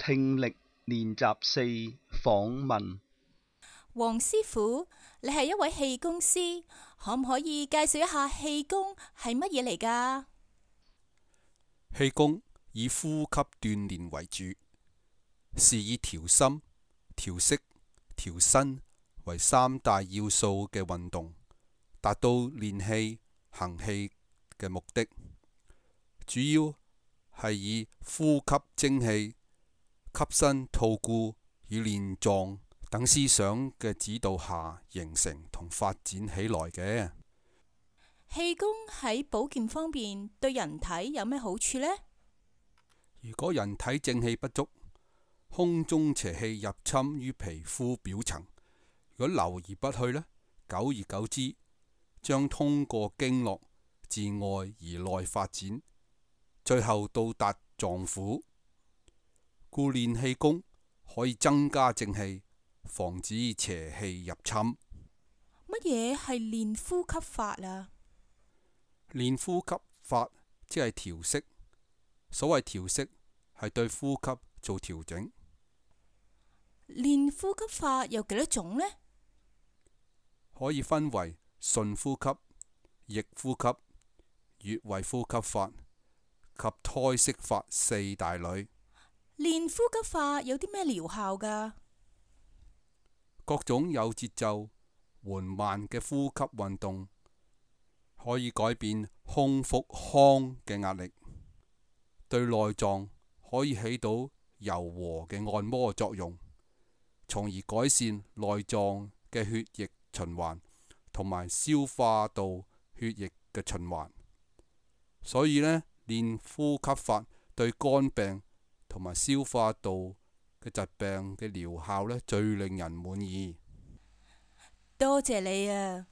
聽力練習4訪問。黃師傅，你係一位氣功師，可唔可以介紹一下氣功係乜嘢嚟㗎？氣功以呼吸鍛煉為主，是以調心、調息、調身為三大要素嘅運動，達到練氣、行氣嘅目的。主要係以呼吸精氣、吸身吐故與練壯等思想嘅指導下形成同發展起來嘅。氣功喺保健方面對人體有咩好處呢？如果人體正氣不足，空中邪氣入侵於皮膚表層，如果留而不去呢，久而久之，將通過經絡自外而內發展，最後到達臟腑。故練氣功可以增加正氣，防止邪氣入侵。乜嘢係練呼吸法啊？練呼吸法即係調息。所謂調息係對呼吸做調整。練呼吸法有幾多種呢？可以分為順呼吸、逆呼吸、穴位呼吸法及胎息法四大類。練呼吸法有啲咩療效㗎？各種有節奏、緩慢嘅呼吸運動，可以改變胸腹腔嘅壓力，對內臟可以起到柔和嘅按摩作用，從而改善內臟嘅血液循環同埋消化道血液嘅循環。所以呢，練呼吸法對肝病同埋消化道嘅疾病嘅療效呢，最令人滿意。多謝你啊！